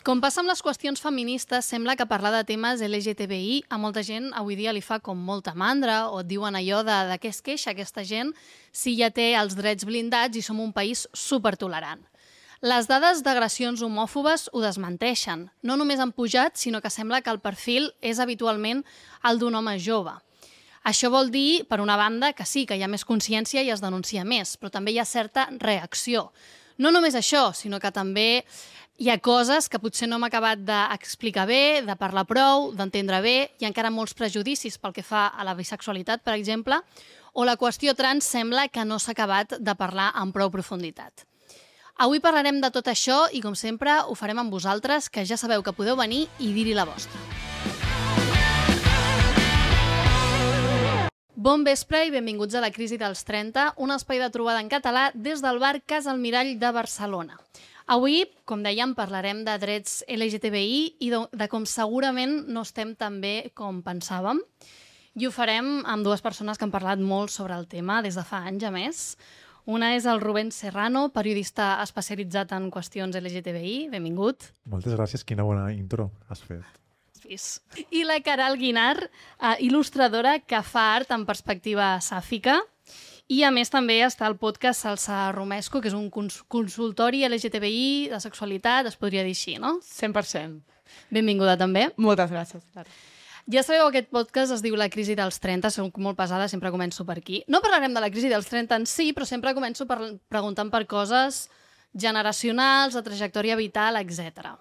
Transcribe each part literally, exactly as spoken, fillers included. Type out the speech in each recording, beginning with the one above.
Com passa amb les qüestions feministes, sembla que parlar de temes L G T B I a molta gent avui dia li fa com molta mandra o et diuen allò de, de què es queixa aquesta gent si ja té els drets blindats i som un país supertolerant. Les dades d'agressions homòfobes ho desmenteixen. No només han pujat, sinó que sembla que el perfil és habitualment el d'un home jove. Això vol dir, per una banda, que sí, que hi ha més consciència i es denuncia més, però també hi ha certa reacció. No només això, sinó que també hi ha coses que potser no hem acabat d'explicar bé, de parlar prou, d'entendre bé, hi ha encara molts prejudicis pel que fa a la bisexualitat, per exemple, o la qüestió trans sembla que no s'ha acabat de parlar amb prou profunditat. Avui parlarem de tot això i, com sempre, ho farem amb vosaltres, que ja sabeu que podeu venir i dir-hi la vostra. Bon vespre i benvinguts a La crisi dels trenta, un espai de trobada en català des del bar Casa Almirall de Barcelona. Avui, com dèiem, parlarem de drets L G T B I i de, de com segurament no estem tan bé com pensàvem. I ho farem amb dues persones que han parlat molt sobre el tema des de fa anys, a més. Una és el Rubén Serrano, periodista especialitzat en qüestions L G T B I. Benvingut. Moltes gràcies, quina bona intro has fet. I la Caral Guinar, eh, il·lustradora que fa art en perspectiva sàfica. I a més també està el podcast Salsa Romesco, que és un cons consultori L G T B I de sexualitat, es podria dir així, no? cent per cent. Benvinguda també. Moltes gràcies. Ja sabeu, aquest podcast es diu La crisi dels trenta, soc molt pesada, sempre començo per aquí. No parlarem de la crisi dels trenta en si, però sempre començo per preguntant per coses generacionals, de trajectòria vital, etcètera.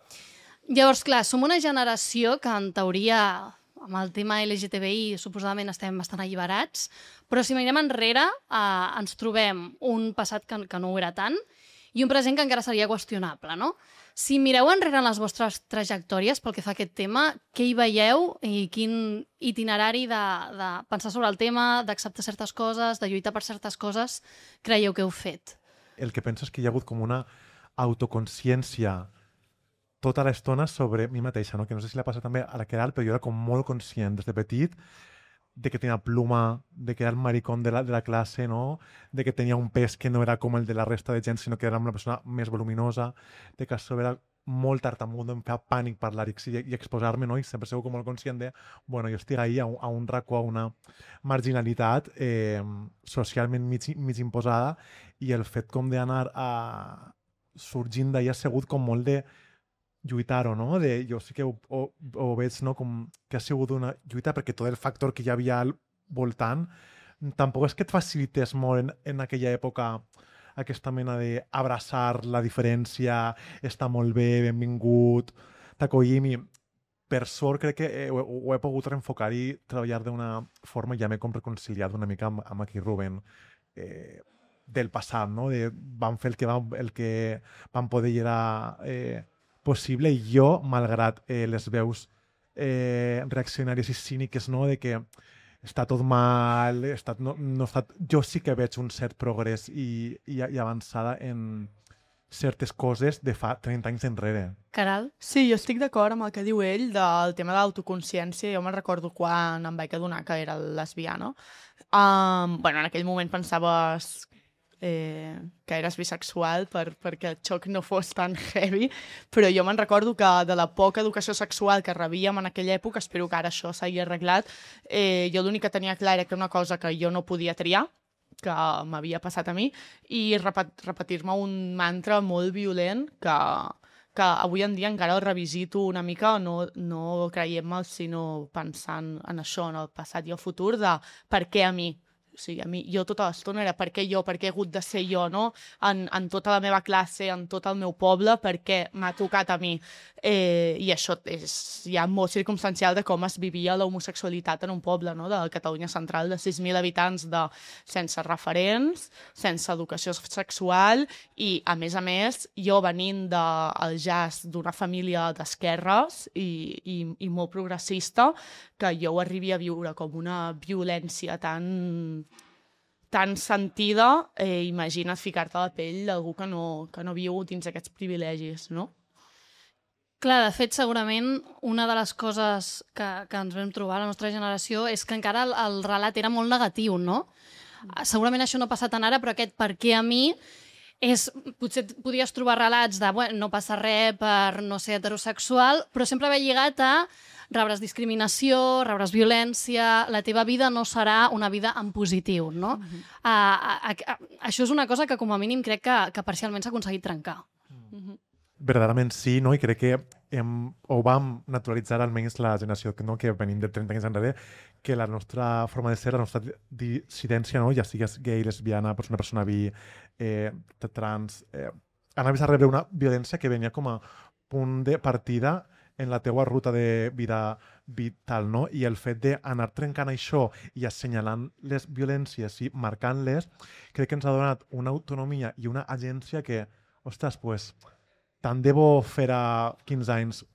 Llavors, clar, som una generació que en teoria amb el tema L G T B I suposadament estem bastant alliberats, però si mirem enrere eh, ens trobem un passat que, que no ho era tant i un present que encara seria qüestionable, no? Si mireu enrere en les vostres trajectòries pel que fa a aquest tema, què hi veieu i quin itinerari de, de pensar sobre el tema, d'acceptar certes coses, de lluitar per certes coses, creieu que heu fet? El que penso és que hi ha hagut com una autoconsciència tota l'estona sobre mi mateixa, no? Que no sé si la passa també a la Queralt, però jo era com molt conscient des de petit de que tenia pluma, de que era el maricón de la, de la classe, no? De que tenia un pes que no era com el de la resta de gent, sinó que era una persona més voluminosa, de que a sobre era molt tartamut, em feia pànic parlar i, i exposar-me, no? I sempre sou com molt conscient de, bueno, jo estic ahí a un, a un racó, a una marginalitat eh, socialment mig, mig imposada, i el fet com d'anar a... sorgint d'ahir ha sigut com molt de lluitar-ho, no? De, jo sí que ho, ho, ho veig, no? Com que ha sigut una lluita perquè tot el factor que hi havia al voltant tampoc és que et facilités molt en, en aquella època aquesta mena d'abraçar la diferència, està molt bé, benvingut, t'acollim i per sort crec que ho, ho he pogut reenfocar i treballar d'una forma i ja m'he com reconciliat una mica amb, amb aquí Rubén eh, del passat, no? De, vam fer el que vam, el que vam poder i era eh, possible, i jo, malgrat eh, les veus eh, reaccionàries i cíniques, no? De que està tot mal, està, no, no està... jo sí que veig un cert progrés i, i, i avançada en certes coses de fa trenta anys enrere. Caral? Sí, jo estic d'acord amb el que diu ell del tema de l'autoconsciència. Jo me'n recordo quan em vaig adonar que era lesbiana. Um, bueno, en aquell moment pensaves eh, que eres bisexual per, perquè el xoc no fos tan heavy, però jo me'n recordo que de la poca educació sexual que rebíem en aquella època, espero que ara això s'hagi arreglat, eh, jo l'únic que tenia clar era que una cosa que jo no podia triar, que m'havia passat a mi, i repet, repetir-me un mantra molt violent que, que avui en dia encara el revisito una mica, no, no creient-me'l, sinó pensant en això, en el passat i el futur, de per què a mi. O sigui, a mi, jo tota l'estona era per què jo, per què he hagut de ser jo, no? En, en tota la meva classe, en tot el meu poble, per què m'ha tocat a mi. Eh, I això és ja molt circumstancial de com es vivia l'homosexualitat en un poble, no? De Catalunya central, de sis mil habitants, de, sense referents, sense educació sexual, i, a més a més, jo venint del jazz d'una família d'esquerres i, i, i molt progressista, que jo ho arribi a viure com una violència tan tan sentida, eh, imagina't ficar-te a la pell d'algú que no, que no viu dins aquests privilegis, no? Clar, de fet, segurament una de les coses que, que ens vam trobar a la nostra generació és que encara el, el relat era molt negatiu, no? Segurament això no passa tant ara, però aquest per què a mi és, potser podies trobar relats de bueno, no passa res per no ser heterosexual, però sempre ve lligat a rebràs discriminació, rebràs violència, la teva vida no serà una vida en positiu, no? Uh-huh. uh, uh, uh, uh, això és una cosa que com a mínim crec que, que parcialment s'ha aconseguit trencar. Uh-huh. Verdaderament sí, no? I crec que hem, ho vam naturalitzar almenys la generació que, no? que venim de trenta anys enrere, que la nostra forma de ser, la nostra dissidència, no? Ja sigues gay, lesbiana, una persona bi, eh, trans, eh, anaves a rebre una violència que venia com a punt de partida en la teua ruta de vida vital, no? I el fet d'anar trencant això i assenyalant les violències i marcant-les, crec que ens ha donat una autonomia i una agència que, ostres, pues, tant de bo fer a quinze anys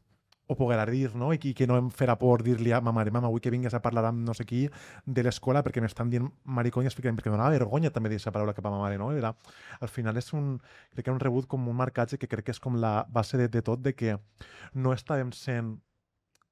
o poder dir, no? I que, que no em farà por dir-li a ma mare, mama, vull que vingues a parlar amb no sé qui de l'escola perquè m'estan dient maricón i expliquen, perquè donava vergonya també dir aquesta paraula cap a ma mare, no? Era, al final és un, crec que un rebut com un marcatge que crec que és com la base de, de tot, de que no estàvem sent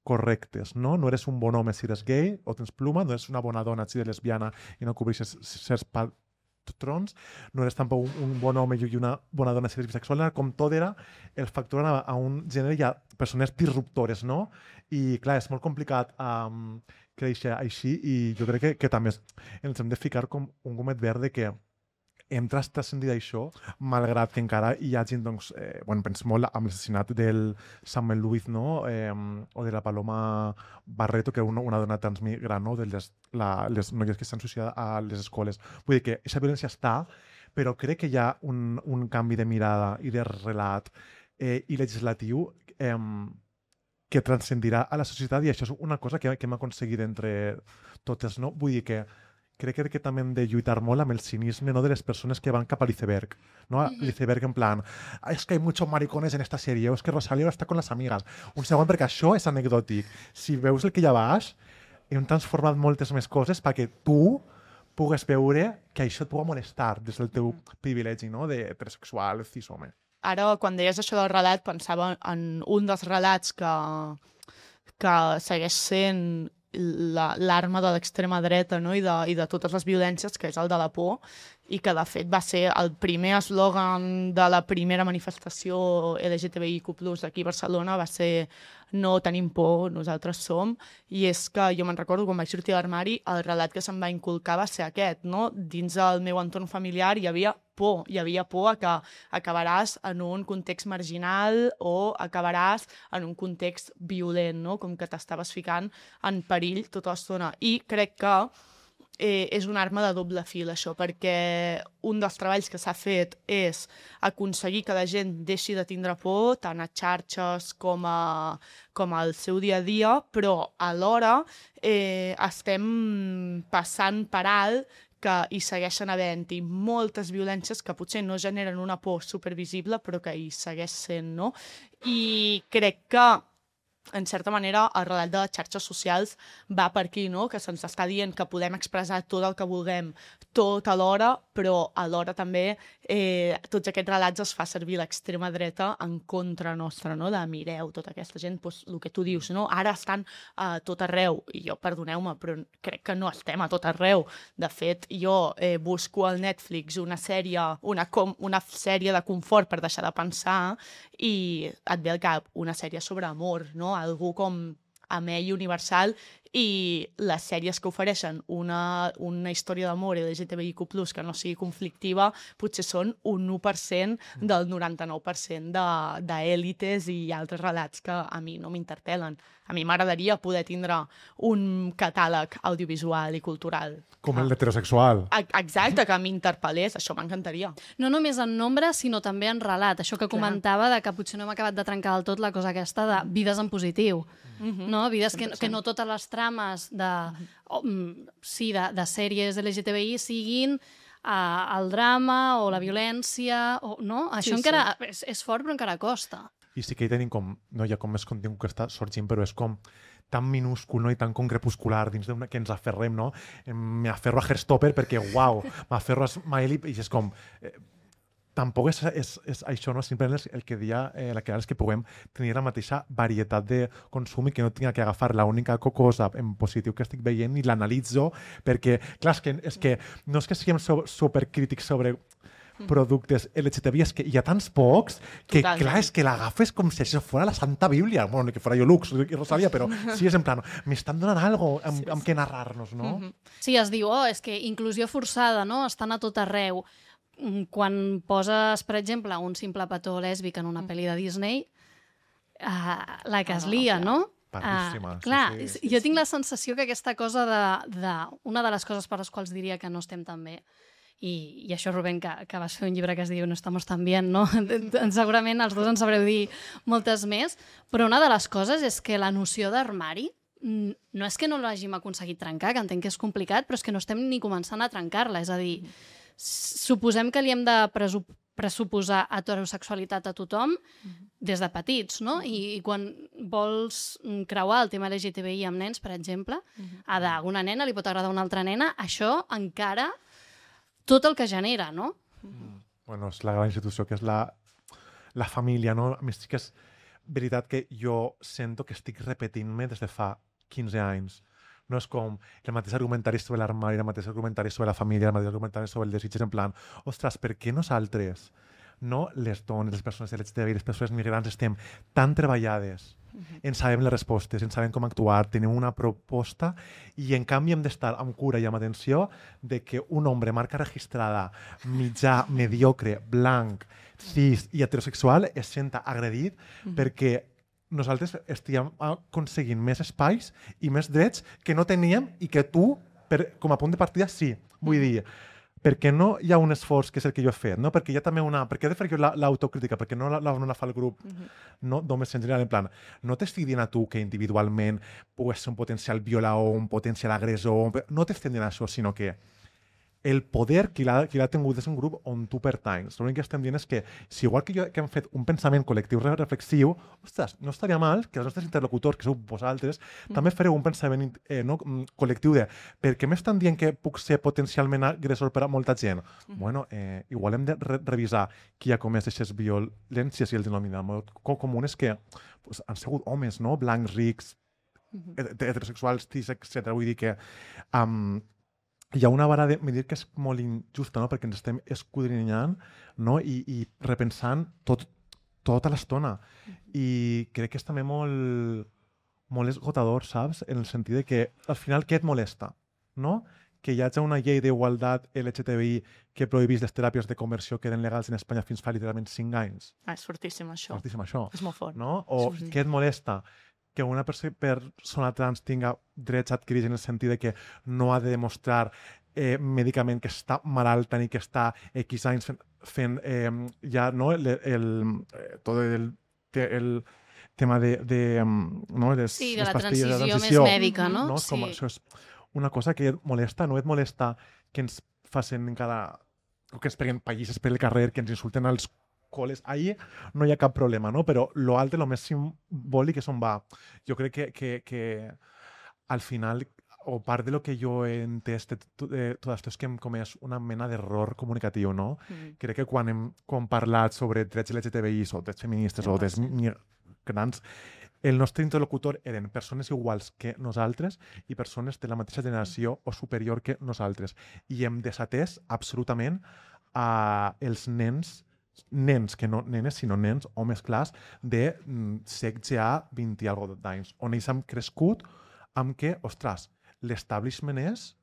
correctes, no? No eres un bon home si eres gay o tens pluma, no eres una bona dona si eres lesbiana i no cobreixes certs patrons, no eres tampoc un, un bon home i una bona dona si eres bisexual, era com tot era, el factor anava a un gènere i a persones disruptores, no? I clar, és molt complicat um, créixer així i jo crec que, que també ens hem de ficar com un gomet verd de que hem transcendit això, malgrat que encara hi hagi, doncs, eh, bueno, penso molt amb l'assassinat del Samuel Luiz, no? Eh, o de la Paloma Barreto, que és una, una dona transmigrant, no? De les, la, les noies que s'han suïcidat a les escoles. Vull dir que aquesta violència està, però crec que hi ha un, un canvi de mirada i de relat eh, i legislatiu eh, que transcendirà a la societat i això és una cosa que, que hem aconseguit entre totes, no? Vull dir que crec que també hem de lluitar molt amb el cinisme, no, de les persones que van cap a l'iceberg. ¿No? Mm-hmm. L'iceberg en plan, es que hay muchos maricones en esta serie, o es que Rosalía està con las amigas. Un segon, perquè això és anecdòtic. Si veus el que hi ha baix, hem transformat moltes més coses perquè tu pugues veure que això et pugui molestar des del teu privilegi, no? De heterosexual, cis-home. Ara, quan deies això del relat, pensava en un dels relats que, que segueix sent l'arma la, de l'extrema dreta, no? I, de, i de totes les violències, que és el de la por, i que de fet va ser el primer eslògan de la primera manifestació L G T B I Q plus aquí a Barcelona, va ser no tenim por, nosaltres som, i és que jo me'n recordo quan vaig sortir de l'armari, el relat que se'm va inculcar va ser aquest, no? Dins del meu entorn familiar hi havia por, hi havia por a que acabaràs en un context marginal o acabaràs en un context violent, no? Com que t'estaves ficant en perill tota l'estona. I crec que eh, és una arma de doble fil, això, perquè un dels treballs que s'ha fet és aconseguir que la gent deixi de tindre por, tant a xarxes com, a, com al seu dia a dia, però alhora eh, estem passant per alt que hi segueixen havent-hi moltes violències que potser no generen una por supervisible, però que hi segueix sent, no? I crec que en certa manera, el relat de les xarxes socials va per aquí, no? Que se'ns està dient que podem expressar tot el que vulguem tot alhora, però alhora també eh, tots aquests relats es fa servir l'extrema dreta en contra nostra, no? De mireu, tota aquesta gent, doncs, el que tu dius, no? Ara estan a tot arreu, i jo, perdoneu-me, però crec que no estem a tot arreu. De fet, jo eh, busco al Netflix una sèrie, una, com, una sèrie de confort per deixar de pensar i et ve al cap una sèrie sobre amor, no? Algú com amè i universal, i les sèries que ofereixen una, una història d'amor L G T B I Q plus, que no sigui conflictiva, potser són un u per cent del noranta-nou per cent d'èlites i altres relats que a mi no m'interpel·len. A mi m'agradaria poder tindre un catàleg audiovisual i cultural. Com el d'heterosexual. Exacte, que m'interpel·lés, això m'encantaria. No només en nombre, sinó també en relat. Això que comentava, de que potser no hem acabat de trencar del tot la cosa aquesta de vides en positiu. Mm-hmm. No? Vides que, que no totes les trames de, oh, sí, de, de sèries L G T B I siguin uh, el drama o la violència, o, no? Això sí, encara sí. És, és fort, però encara costa. I sí que hi tenim com, no hi ha com més contingut que està sorgint, però és com tan minúscul, no? I tan com crepuscular dins d'una que ens aferrem, no? M'aferro a Heartstopper perquè, uau, m'aferro a Smiley i és com... Eh, tampoc és, és, és això, no? Simplement el, el que dia eh, la que és que puguem tenir la mateixa varietat de consum i que no tinga que agafar l'única cosa en positiu que estic veient i l'analitzo perquè, clar, és que, és que no és que siguem so, supercrítics sobre productes L G T B I és que hi ha tants pocs que, Totalment. clar, és que l'agafes com si això fos la Santa Bíblia. Bueno, que fora jo Lux i Rosalia, però sí, és en plan, m'estan donant algo amb, Sí, amb què narrar-nos, no? Mhm. Sí, es diu, oh, és que inclusió forçada, no? Estan a tot arreu. Mm, Quan poses, per exemple, un simple petó lèsbic en una pel·li de Disney, uh, la que Ah, es no, lia, clar. no? Parríssima, Ah, sí, clar, sí. és- Sí, jo sí. tinc la sensació que aquesta cosa de, de... Una de les coses per les quals diria que no estem tan bé, i, i això, Rubén, que, que vas fer un llibre que es diu No estamos tan bien, no? Segurament els dos en sabreu dir moltes més, però una de les coses és que la noció d'armari mm, no és que no l'hàgim aconseguit trencar, que entenc que és complicat, però és que no estem ni començant a trencar-la. És a dir, s- suposem que li hem de presu pressuposar heterosexualitat a tothom des de petits, no? I, i quan vols mm, creuar el tema L G T B I amb nens, per exemple, a d'una nena li pot agradar una altra nena, això encara tot el que genera, no? Bueno, és la gran institució que és la, la família, no? A més, sí que és veritat que jo sento que estic repetint-me des de fa quinze anys. No és com el mateix argumentari sobre l'armari, el mateix argumentari sobre la família, el mateix argumentari sobre el desig, és en plan, ostres, per què nosaltres, no les dones, les persones L G T B I, les persones migrants, estem tan treballades, en sabem les respostes, en sabem com actuar, tenim una proposta i en canvi hem d'estar amb cura i amb atenció de que un home marca registrada, mitjà, mediocre, blanc, cis i heterosexual es senta agredit perquè nosaltres estem aconseguint més espais i més drets que no teníem i que tu, per, com a punt de partida, sí. Vull dir, perquè no hi ha un esforç que és el que jo he fet, no? Perquè hi ha també una... Per què he de fer jo la- l'autocrítica? Perquè no la, la, no la fa el grup no, d'homes en general, en plan, no t'estic dient a tu que individualment pugues ser un potencial violador, un potencial agressor, un... no t'estic dient això, sinó que el poder qui l'ha qui l'ha tingut és un grup on tu pertanys. L'únic que estem dient és que, si igual que jo que hem fet un pensament col·lectiu re- reflexiu, ostres, no estaria mal que els nostres interlocutors, que sou vosaltres, mm. també fareu un pensament eh, no, mm, col·lectiu de per què m'estan dient que puc ser potencialment agressor per a molta gent? Mm. Bueno, eh, igual hem de re revisar qui ha comès aquestes violències i el denominador co comú és que pues, han sigut homes, no? Blancs, rics, Mhm. het- heterosexuals, cis, etcètera. Vull dir que um, hi ha una vara de medir que és molt injusta, no? Perquè ens estem escudrinyant, no? I, i repensant tot, tota l'estona. I crec que és també molt, molt esgotador, saps? En el sentit de que al final què et molesta? No? Que hi hagi una llei d'igualtat L G T B I que prohibís les teràpies de conversió que eren legals en Espanya fins fa literalment cinc anys. Ah, és fortíssim, això. Fortíssim, això. És molt fort. No? O Sí, sí. què et molesta? Que una perso persona trans tinga drets adquirits en el sentit de que no ha de demostrar eh, mèdicament que està malalta ni que està X anys fent, fent eh, ja no, el, el, eh, tot el, el tema de, de no, les, Sí, de les la pastilles de transició més transició. mèdica, no? No? Com, Sí. això és una cosa que et molesta, no et molesta que ens facin encara o que ens peguen pallisses per el carrer, que ens insulten als col·les. Ahí no hi ha cap problema, no? Però lo altre, lo més simbòlic és on va. Jo crec que, que, que al final, o part de lo que jo he entès de tot eh, tot això és que hem comès una mena d'error comunicatiu, no? Mhm. Crec que quan hem quan parlat sobre drets L G T B I o drets feministes o drets migrants, el nostre interlocutor eren persones iguals que nosaltres i persones de la mateixa generació o superior que nosaltres. I hem desatès absolutament a els nens, nens, que no nenes, sinó nens, homes clars, de mm, setze a vint i algo d'anys, on ells han crescut amb que, ostres, l'establishment és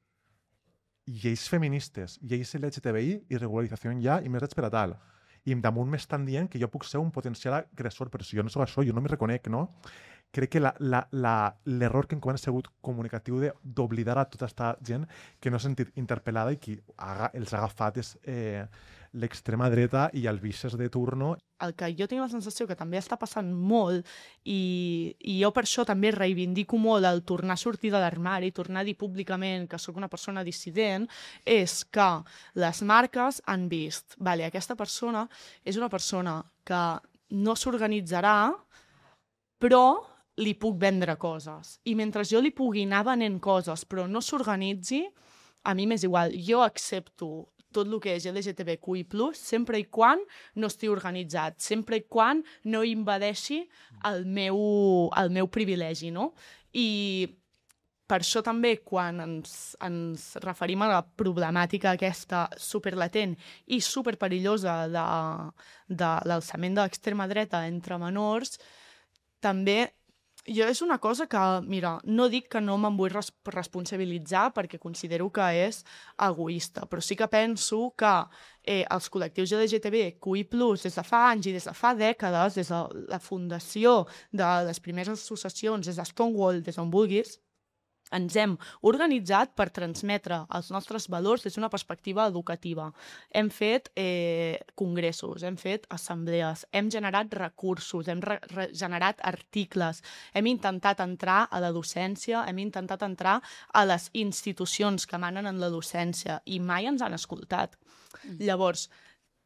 lleis feministes, lleis L G T B I i regularització ja i més drets per a tal. I damunt m'estan dient que jo puc ser un potencial agressor, però si jo no soc això, jo no m'hi reconec, no? Crec que l'error que encara ha sigut comunicatiu d'oblidar a tota aquesta gent que no s'ha sentit interpel·lada i qui ha, els ha agafat és eh, l'extrema dreta i els vices de turno. El que jo tinc la sensació que també està passant molt i, i jo per això també reivindico molt el tornar a sortir de l'armari, tornar a dir públicament que sóc una persona dissident, és que les marques han vist, vale, aquesta persona és una persona que no s'organitzarà, però li puc vendre coses. I mentre jo li pugui anar venent coses però no s'organitzi, a mi m'és igual. Jo accepto tot el que és L G T B Q I plus, sempre i quan no estigui organitzat, sempre i quan no invadeixi el meu, el meu privilegi, no? I per això també, quan ens, ens referim a la problemàtica aquesta superlatent i superperillosa de, de l'alçament de l'extrema dreta entre menors, també jo és una cosa que, mira, no dic que no me'n vull res responsabilitzar perquè considero que és egoista, però sí que penso que eh, els col·lectius L G T B Q I plus, des de fa anys i des de fa dècades, des de la fundació de les primeres associacions, des de Stonewall, des d'on vulguis, ens hem organitzat per transmetre els nostres valors des d'una perspectiva educativa. Hem fet eh, congressos, hem fet assemblees, hem generat recursos, hem generat articles, hem intentat entrar a la docència, hem intentat entrar a les institucions que manen en la docència i mai ens han escoltat. Mm. Llavors,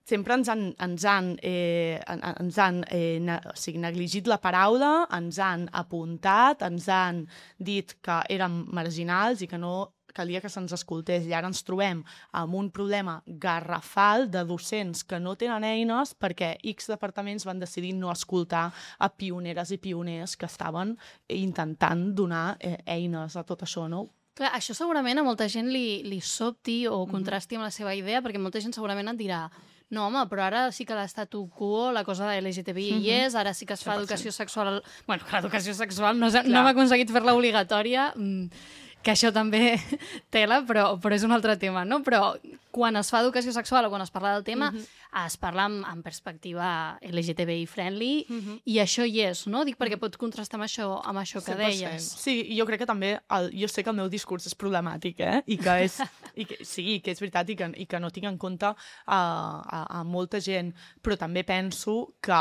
sempre ens han, ens han, eh, ens han eh, ne, o sigui, negligit la paraula, ens han apuntat, ens han dit que érem marginals i que no calia que se'ns escoltés. I ara ens trobem amb un problema garrafal de docents que no tenen eines perquè X departaments van decidir no escoltar a pioneres i pioners que estaven intentant donar eh, eines a tot això, no? Clar, això segurament a molta gent li, li sobti o contrasti amb la seva idea, perquè molta gent segurament et dirà no, home, però ara sí que l'estatu quo, la cosa de L G T B I hi és, ara sí que es fa educació sexual... Bueno, que l'educació sexual no, no hem aconseguit fer-la obligatòria, que això també tela, però, però és un altre tema, no? Però quan es fa educació sexual o quan es parla del tema, uh -huh. es parla amb, amb perspectiva L G T B I friendly, uh -huh. i això hi és, no? Dic perquè pot contrastar amb això, amb això que cent per cent. deies. Sí, jo crec que també, el, jo sé que el meu discurs és problemàtic, eh? I que és, i que, sí, que és veritat i que, i que no tinc en compte a, a, a molta gent, però també penso que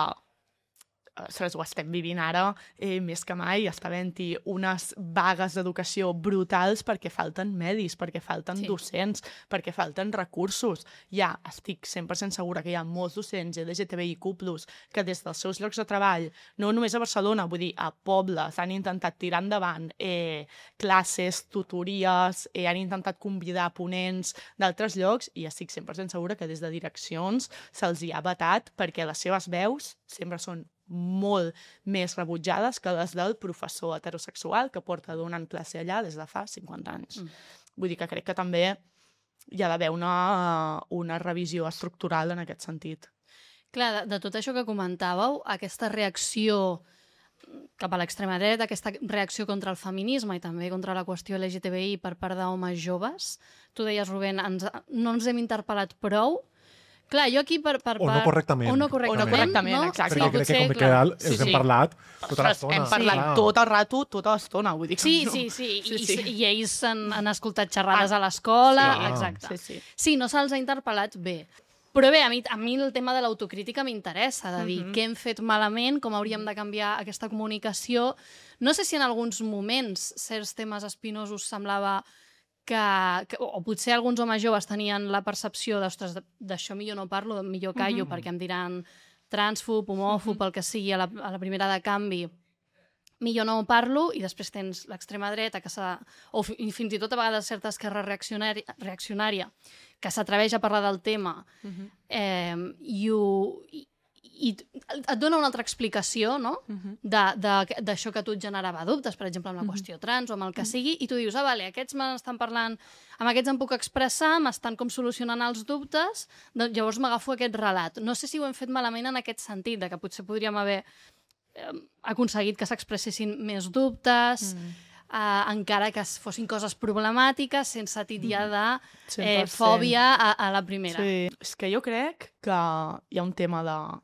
ho estem vivint ara eh, més que mai, està havent-hi unes vagues d'educació brutals perquè falten medis, perquè falten sí. docents, perquè falten recursos. Ja estic cent per cent segura que hi ha molts docents L G T B I Q plus, que des dels seus llocs de treball, no només a Barcelona, vull dir, a pobles, han intentat tirar endavant eh, classes, tutories, eh, han intentat convidar ponents d'altres llocs i estic cent per cent segura que des de direccions se'ls hi ha vetat perquè les seves veus sempre són molt més rebutjades que les del professor heterosexual que porta donant classe allà des de fa cinquanta anys. Mm. Vull dir que crec que també hi ha d'haver una, una revisió estructural en aquest sentit. Clar, de, de tot això que comentàveu, aquesta reacció cap a l'extrema dreta, aquesta reacció contra el feminisme i també contra la qüestió L G T B I per part d'homes joves, tu deies, Rubén, ens, no ens hem interpel·lat prou. Clar, jo aquí per... per o no correctament. O no correctament, o no correctament no? exacte. Perquè crec que com que els sí, sí. hem parlat tota l'estona. Hem parlat sí. tot el rato, tota l'estona, vull dir que sí, no. Sí, sí, sí. I, sí. I ells han, han escoltat xerrades ah. a l'escola, sí. exacte. Sí, sí. sí, no se'ls ha interpel·lat bé. Però bé, a mi, a mi el tema de l'autocrítica m'interessa, de dir uh -huh. què hem fet malament, com hauríem de canviar aquesta comunicació. No sé si en alguns moments certs temes espinosos semblava que, que o potser alguns homes joves tenien la percepció d'ostres, d'això millor no parlo, millor callo, uh -huh. perquè em diran transfob, homòfob, uh -huh. el que sigui, a la, a la primera de canvi, millor no parlo, i després tens l'extrema dreta, que o fins i tot a vegades certa esquerra reaccionària, reaccionària que s'atreveix a parlar del tema, uh-huh. eh, i, ho, i, i et dona una altra explicació, no? Uh-huh. d'això que a tu et generava dubtes, per exemple, amb la uh-huh. qüestió trans o amb el que sigui, i tu dius, ah, vale, aquests m'estan parlant, amb aquests em puc expressar, m'estan com solucionant els dubtes, doncs llavors m'agafo aquest relat. No sé si ho hem fet malament en aquest sentit, de que potser podríem haver eh, aconseguit que s'expressessin més dubtes, mm. Uh, encara que fossin coses problemàtiques, sense titllar de eh, fòbia a, a la primera. Sí. És que jo crec que hi ha un tema de...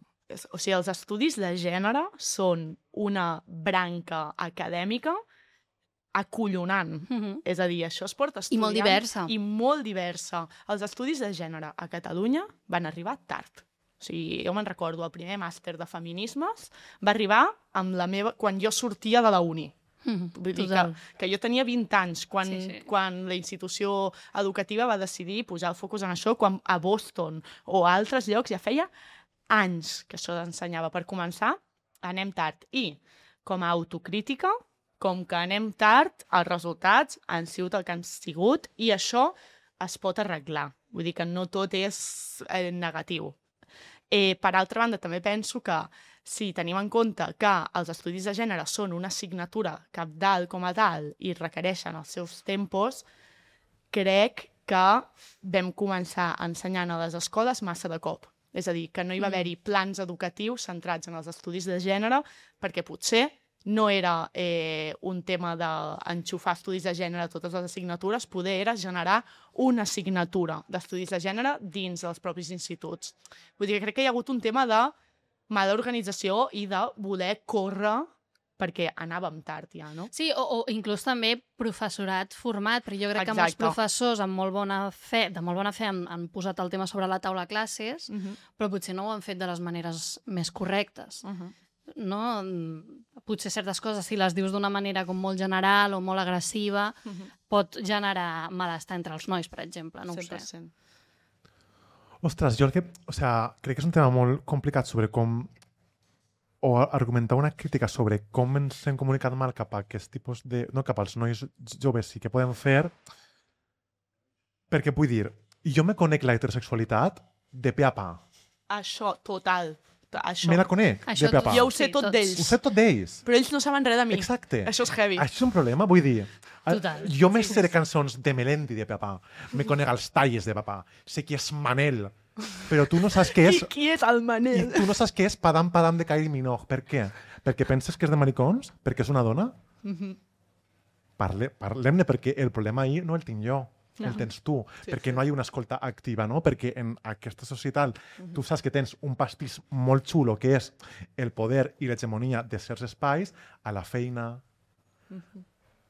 O sigui, els estudis de gènere són una branca acadèmica acollonant. Mm-hmm. És a dir, això es porta estudiant... I molt diversa. I molt diversa. Els estudis de gènere a Catalunya van arribar tard. O sigui, jo me'n recordo, el primer màster de feminismes va arribar amb la meva... quan jo sortia de la uni. Mm, Vull dir que, que jo tenia vint anys quan, sí, sí. quan la institució educativa va decidir posar el focus en això, quan a Boston o a altres llocs ja feia anys que això s'ensenyava. Per començar, anem tard. I com a autocrítica, com que anem tard, els resultats han sigut el que han sigut i això es pot arreglar. Vull dir que no tot és eh, negatiu. Eh, per altra banda, també penso que si tenim en compte que els estudis de gènere són una assignatura cabdal com a tal i requereixen els seus tempos, crec que vam començar ensenyant a les escoles massa de cop. És a dir, que no hi va haver-hi plans educatius centrats en els estudis de gènere perquè potser no era eh, un tema d'enxufar estudis de gènere a totes les assignatures, poder era generar una assignatura d'estudis de gènere dins dels propis instituts. Vull dir que crec que hi ha hagut un tema de mala organització i de voler córrer perquè anàvem tard ja, no? Sí, o, o inclús també professorat format, però jo crec Exacte. que molts professors amb molt bona fe, de molt bona fe han, han posat el tema sobre la taula a classes, Uh -huh. però potser no ho han fet de les maneres més correctes. Uh -huh. No? Potser certes coses, si les dius d'una manera com molt general o molt agressiva, Uh -huh. pot generar malestar entre els nois, per exemple, no ho cent per sé. cent. Ostres, jo el que... O sea, crec que és un tema molt complicat sobre com... o argumentar una crítica sobre com ens hem comunicat mal cap a aquest tipus de... no, cap als nois joves sí que podem fer, perquè vull dir, jo me conec la heterosexualitat de pe a pa. Això, total. Això. Me la conec Això de pe a pa. Jo ho sé Sí, tot tots. d'ells. Ho sé tot d'ells. Però ells no saben res de mi. Exacte. Això és heavy. Això és un problema, vull dir... Total. Jo me sé de cançons de Melendi de papà, me conec els talles de papà, sé qui és Manel, però tu no saps què és... I qui és el I Manel? tu no saps què és Padam Padam de Kylie Minogue. Per què? Perquè penses que és de maricons? Perquè és una dona? Parle, Parlem-ne, perquè el problema ahir no el tinc jo, el tens tu, Sí, perquè sí. no hi ha una escolta activa, no? Perquè en aquesta societat tu saps que tens un pastís molt xulo que és el poder i l'hegemonia de certs espais a la feina,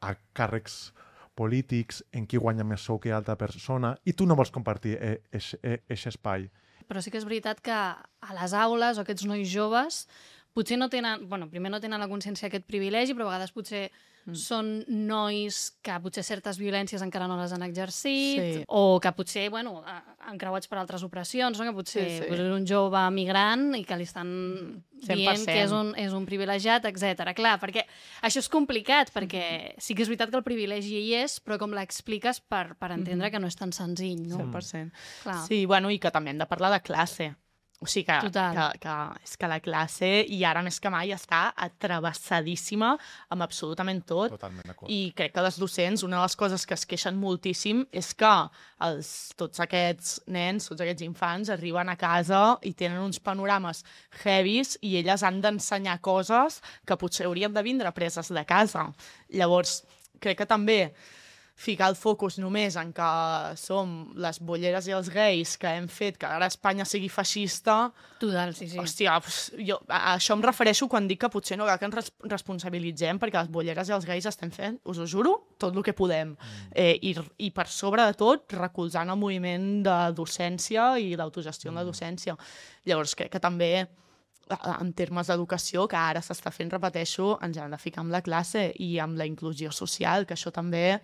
a càrrecs polítics, en qui guanya més sou que altra persona, i tu no vols compartir aquest espai. Però sí que és veritat que a les aules o aquests nois joves potser no tenen, bueno, primer no tenen la consciència d'aquest privilegi, però a vegades potser mm. són nois que potser certes violències encara no les han exercit, Sí. o que potser, bueno, encreuats per altres opressions, no? Que potser Sí, sí. pues, és un jove migrant i que li estan cent per dient cent. que és un, és un privilegiat, etcètera. Clar, perquè això és complicat, perquè sí que és veritat que el privilegi hi és, però com l'expliques per, per entendre que no és tan senzill, no? cent per cent. Clar. Sí, bueno, i que també hem de parlar de classe. O sigui que, Total. que, que, és que la classe, i ara més que mai, està atravessadíssima amb absolutament tot. Totalment d'acord. I crec que les docents, una de les coses que es queixen moltíssim és que els, tots aquests nens, tots aquests infants, arriben a casa i tenen uns panorames heavies i elles han d'ensenyar coses que potser haurien de vindre preses de casa. Llavors, crec que també ficar el focus només en que som les bolleres i els gais que hem fet que ara Espanya sigui feixista, Total, sí, sí. hòstia, pues, jo, a, a això em refereixo quan dic que potser no cal que ens res responsabilitzem perquè les bolleres i els gais estem fent, us ho juro, tot el que podem. Eh, i, I per sobre de tot, recolzant el moviment de docència i l'autogestió en la docència. Llavors crec que també en termes d'educació, que ara s'està fent, repeteixo, ens hem de ficar amb la classe i amb la inclusió social, que això també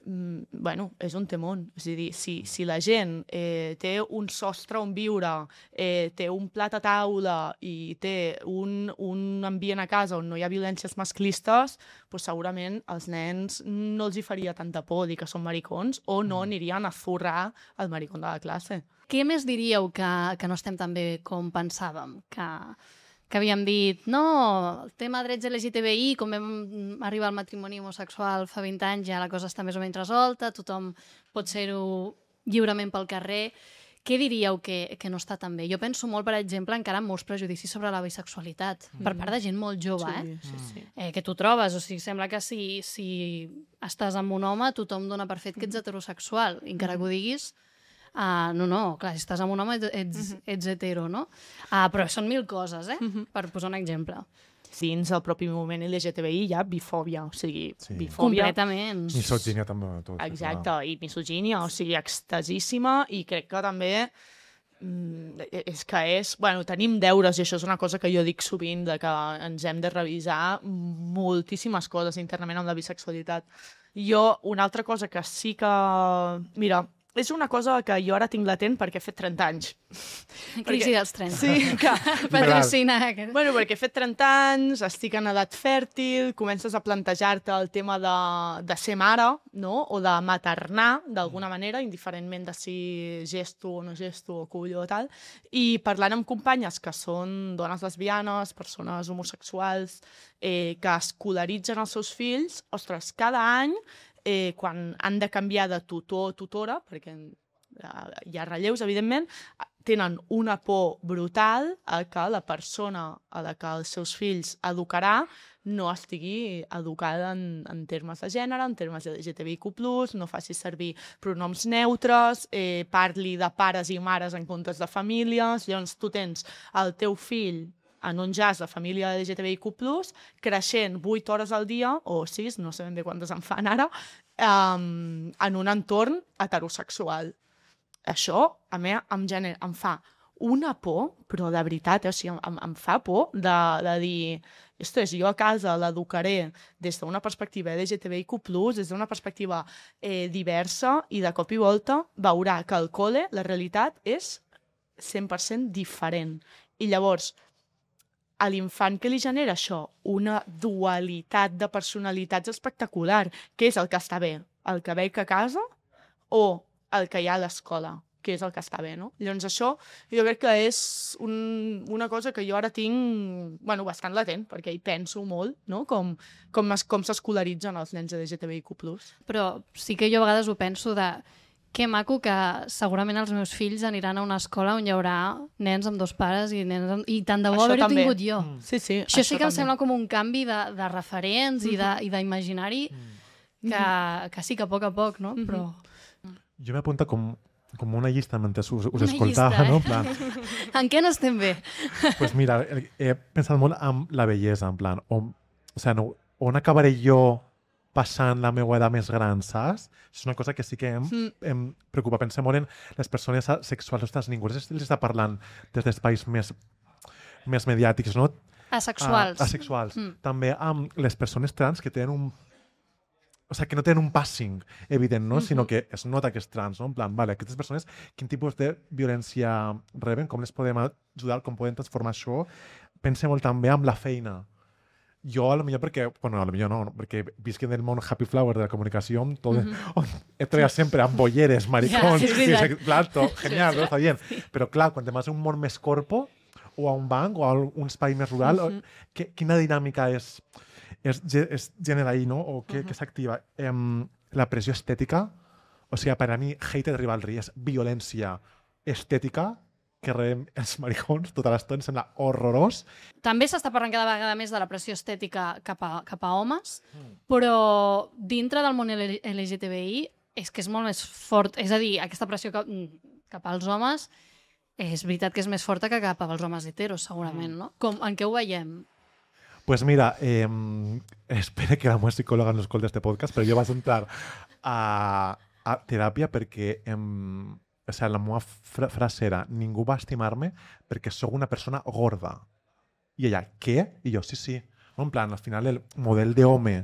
mm, bueno, és un temón. És a dir, si, si la gent eh, té un sostre on viure, eh, té un plat a taula i té un, un ambient a casa on no hi ha violències masclistes, doncs segurament als nens no els hi faria tanta por dir que són maricons o no anirien a zurrar el maricón de la classe. Què més diríeu que, que no estem tan bé com pensàvem? Que, que havíem dit, no, el tema drets L G T B I, com vam arribar al matrimoni homosexual fa vint anys, ja la cosa està més o menys resolta, tothom pot ser-ho lliurement pel carrer. Què diríeu que, que no està tan bé? Jo penso molt, per exemple, encara en molts prejudicis sobre la bisexualitat, mm. per part de gent molt jove, Sí, eh? sí, sí. eh? Que tu trobes, o sigui, sembla que si, si estàs amb un home, tothom dona per fet que ets heterosexual, i encara que ho diguis, Uh, no, no, clar, si estàs amb un home ets, ets, uh -huh. ets hetero, no? Uh, però són mil coses, eh? Uh -huh. Per posar un exemple. Dins el propi moviment L G T B I hi ha bifòbia, o sigui, Sí. bifòbia... Completament. Misogínia també. Tot, Exacte, clar. i misogínia, o sigui, extasíssima, i crec que també mm, és que és... Bueno, tenim deures, i això és una cosa que jo dic sovint, de que ens hem de revisar moltíssimes coses internament amb la bisexualitat. Jo, una altra cosa que sí que... Mira, és una cosa que jo ara tinc latent perquè he fet trenta anys. Crisi dels trenta. Sí, que... Patrocina. Bueno, perquè he fet trenta anys, estic en edat fèrtil, comences a plantejar-te el tema de, de ser mare, no? O de maternar, d'alguna manera, indiferentment de si gesto o no gesto o cullo o tal. I parlant amb companyes que són dones lesbianes, persones homosexuals, eh, que escolaritzen els seus fills, ostres, cada any, eh, quan han de canviar de tutor o tutora, perquè hi ha relleus, evidentment, tenen una por brutal a que la persona a la que els seus fills educarà no estigui educada en, en termes de gènere, en termes de L G T B I Q plus, no faci servir pronoms neutres, eh, parli de pares i mares en comptes de famílies. Llavors tu tens el teu fill en un jazz de família L G T B I Q plus, creixent vuit hores al dia, o sis, no sé ben bé quantes en fan ara, um, en un entorn heterosexual. Això, a mi, em, gener, em fa una por, però de veritat, eh? O sigui, em, em fa por de, de dir, ostres, jo a casa l'educaré des d'una perspectiva L G T B I Q plus, des d'una perspectiva eh, diversa, i de cop i volta veurà que al col·le la realitat és cent per cent diferent. I llavors, a l'infant que li genera això, una dualitat de personalitats espectacular, que és el que està bé, el que veig a casa o el que hi ha a l'escola, que és el que està bé, no? Llavors això jo crec que és un, una cosa que jo ara tinc, bueno, bastant latent, perquè hi penso molt, no? Com, com, es, com s'escolaritzen els nens de L G T B I Q plus. Però sí que jo a vegades ho penso de que maco que segurament els meus fills aniran a una escola on hi haurà nens amb dos pares i nens amb... i tant de bo haver-ho tingut jo. Mm. Sí, sí, això, això sí que també. em sembla com un canvi de, de referents mm-hmm. i d'imaginari mm-hmm. que, que sí que a poc a poc, no? Mm-hmm. Però... Jo m'he apuntat com, com una llista mentre us, us una escoltava, llista, eh? no? En plan... en què n'estem bé? Pues mira, he pensat molt en la bellesa, en plan, on, o sea, no, on acabaré jo passant la meva edat més gran, saps? És una cosa que sí que em, mm. em preocupa. Pensem molt en les persones sexuals. Ostres, ningú els està parlant des d'espais més, més mediàtics, no? Asexuals. Uh, asexuals. Mm. També amb les persones trans que tenen un... O sigui, que no tenen un passing evident, no? Mm-hmm. Sinó que es nota que és trans, no? En plan, vale, aquestes persones, quin tipus de violència reben, com les podem ajudar, com podem transformar això? Pense molt també amb la feina. Jo, a lo millor perquè, bueno, a lo millor no, perquè visc en el món happy flower de la comunicació, tot, mm-hmm. he treballat sempre amb bolleres, maricons, ja, sí, sí, plato, genial, sí, sí. No? Està bien. Sí. Però clar, quan te vas a un món més corpo, o a un banc, o a un espai més rural, mm-hmm. o, que, quina dinàmica és... es, es genera ahí, ¿no? O que, uh-huh. que s'activa. Eh, la pressió estètica, o sigui, per a mi, hated rivalry és violència estètica que rebem els maricons tota l'estona, sembla horrorós. També s'està parlant cada vegada més de la pressió estètica cap a, cap a homes, mm. però dintre del món L G T B I és que és molt més fort. És a dir, aquesta pressió cap, cap als homes és veritat que és més forta que cap als homes heteros, segurament, no? Com, en què ho veiem? Pues mira, eh, espero que la meva psicòloga no escolti este podcast, però jo vaig entrar a, a teràpia perquè em, o sigui, la meva fra frase era ningú va estimar-me perquè sóc una persona gorda. I ella, què? I jo, sí, sí. En plan, al final el model d'home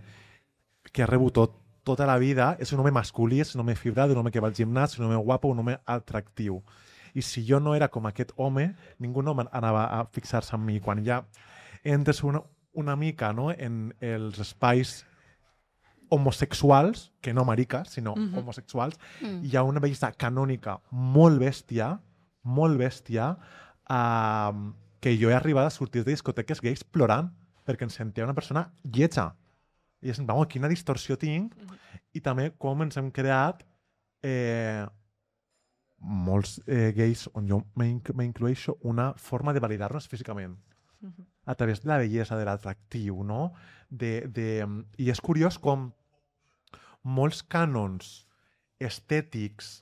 que ha rebut tot, tota la vida és un home masculí, és un home fibrat, un home que va al gimnàs, un home guapo, un home atractiu. I si jo no era com aquest home, ningú no anava a fixar-se en mi. Quan ja entres una, una mica, no, en els espais homosexuals, que no mariques, sinó uh-huh. homosexuals, uh-huh. hi ha una bellesa canònica molt bèstia, molt bèstia, uh, que jo he arribat a sortir de discoteques gais plorant perquè em sentia una persona lletja. I és, vamos, quina distorsió tinc, uh-huh. i també com ens hem creat eh, molts eh, gais, on jo m'incloeixo, una forma de validar-nos físicament. Uh-huh. A través de la bellesa, de l'atractiu, no? De, de, I és curiós com molts cànons estètics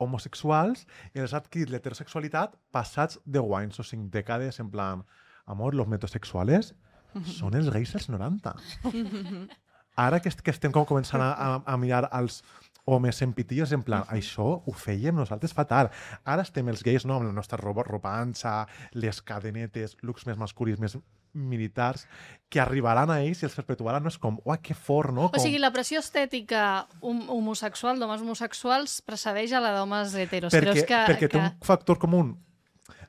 homosexuals els ha adquirit l'heterosexualitat passats deu anys o cinc dècades, en plan, amor, los metrosexuals uh-huh. són els gais dels noranta. Uh-huh. Ara que, que estem com començant a, a, a mirar els homes empitillos, en plan, uh-huh. això ho fèiem nosaltres fatal. Ara estem els gais, no?, amb la nostra roba, ropa ancha, les cadenetes, looks més masculins, més militars que arribaran a ells i els perpetuaran. No és com, uah, que fort, no? Com... O sigui, la pressió estètica hom homosexual, d'homes homosexuals, precedeix a la d'homes heteros. Perquè, Creus que, perquè que... té un factor comú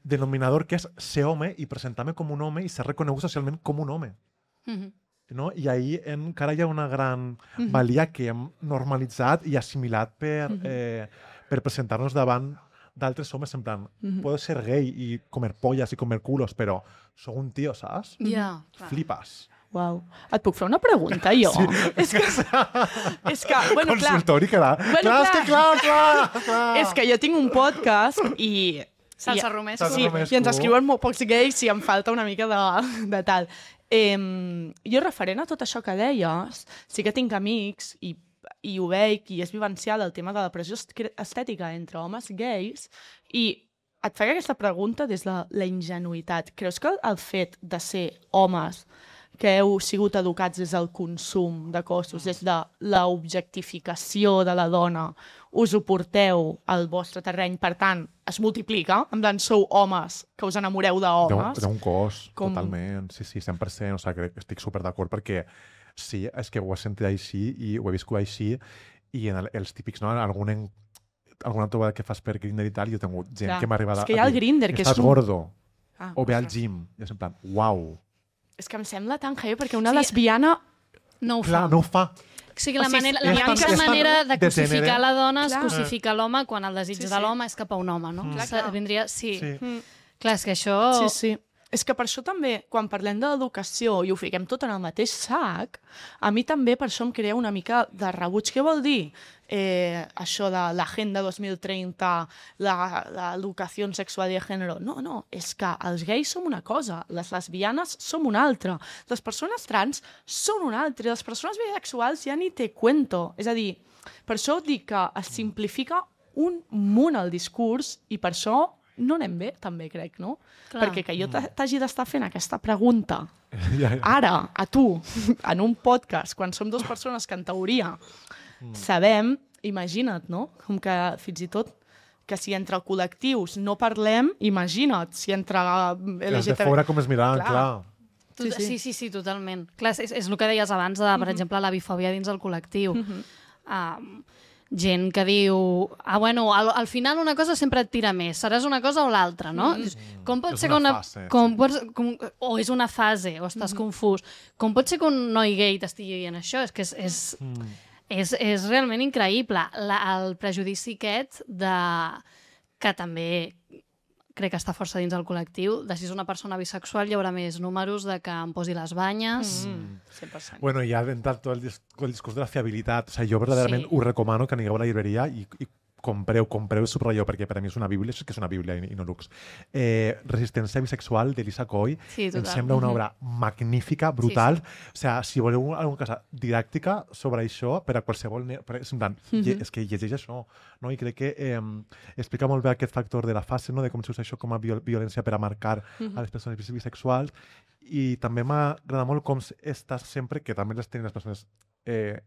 denominador que és ser home i presentar-me com un home i ser reconegut socialment com un home. Mm -hmm. No? I ahí encara hi ha una gran mm -hmm. valia que hem normalitzat i assimilat per, mm -hmm. eh, per presentar-nos davant d'altres homes en plan, mm -hmm. puedo ser gay i comer pollas i comer culos, però sóc un tio, saps? Ja, yeah, clar. Flipes. Uau. Et puc fer una pregunta, jo? Sí. És que... és que, bueno, clar... Consultori, clar. Bueno, clar, és que clar, clar, clar. És que jo tinc un podcast i... Salsa i, romesco. Sí, i ens escriuen molt pocs gais si em falta una mica de, de tal. Eh, jo, referent a tot això que deies, sí que tinc amics i, i ho veig i és vivencial el tema de la pressió estètica entre homes gais i et faig aquesta pregunta des de la ingenuïtat. Creus que el fet de ser homes que heu sigut educats des del consum de cossos, des de l'objectificació de la dona, us ho porteu al vostre terreny, per tant, es multiplica, en plan, sou homes que us enamoreu d'homes. D'un cos, Com... totalment. Sí, sí, cent per cent. O sigui, crec que estic super d'acord perquè sí, és que ho he sentit així i ho he viscut així i en el, els típics, no? Algun en, alguna trobada que fas per Grindr i tal, jo he tingut gent Clar, que m'ha arribat a dir, és que hi ha el Grindr, que és estàs un... gordo, Ah, o ve al ostres. gym. I és en plan, uau. És que em sembla tan heavy, perquè una Sí. lesbiana... No ho Clar, fa. no ho fa. O sigui, la, O sigui, manera, és la tan- única és tan manera de de cosificar gènere. la dona és Clar. cosificar l'home quan el desig Sí, de sí. l'home és cap a un home, no? Mm. Clar, Sa- clar. Vindria... Sí. Sí. Mm. Clar, és que això... Sí, sí. És que per això també, quan parlem de l'educació i ho fiquem tot en el mateix sac, a mi també per això em crea una mica de rebuig. Què vol dir eh, això de l'Agenda dos mil trenta, l'educació sexual i de gènere? No, no, és que els gais som una cosa, les lesbianes som una altra, les persones trans són una altra, i les persones bisexuals ja ni te cuento. És a dir, per això dic que es simplifica un munt el discurs i per això no anem bé, també crec, no? Clar. Perquè que jo t'hagi d'estar fent aquesta pregunta Ja, ja. ara, a tu, en un podcast, quan som dues persones que en teoria sabem, imagina't, no? Com que fins i tot que si entre col·lectius no parlem, imagina't, si entre L Els G de T B... fora com es miraven, Clar. clar. Tu, Sí, sí, sí. sí, sí, sí, totalment. Clar, és, és el que deies abans de, per exemple, la bifòbia dins el col·lectiu. Uh, gent que diu, ah, bueno, al, al final una cosa sempre et tira més, seràs una cosa o l'altra, no? Dius, Com pot És ser una que una... fase, com sí. pots, com, o és una fase, o estàs confús. Com pot ser que un noi gay t'estigui dient això? És que és, és, Mm. és, és realment increïble. La, el prejudici aquest de... que també crec que està força dins el col·lectiu, de si és una persona bisexual hi haurà més números de que em posi les banyes. Mm, cent per cent. Bueno, ja d'entrar tot el, dis el discurs de la fiabilitat. O sigui, jo verdaderament Sí. us recomano que anigueu a la llibreria i, i compreu, compreu i subratlleu, perquè per a mi és una bíblia, això és que és una bíblia i, i no lux. Eh, Resistència bisexual d'Elisa Coy. Sí, Em total. sembla una Mhm. obra magnífica, brutal. Sí, O sigui, si voleu alguna cosa didàctica sobre això, per a qualsevol... Ne per, és, en plan, lle- és que llegeix això, no? I crec que eh, explica molt bé aquest factor de la fase, no? De com s'usa això com a viol violència per a marcar a les persones bis bisexuals. I també m'agrada molt com estàs sempre, que també les tenen les persones eh,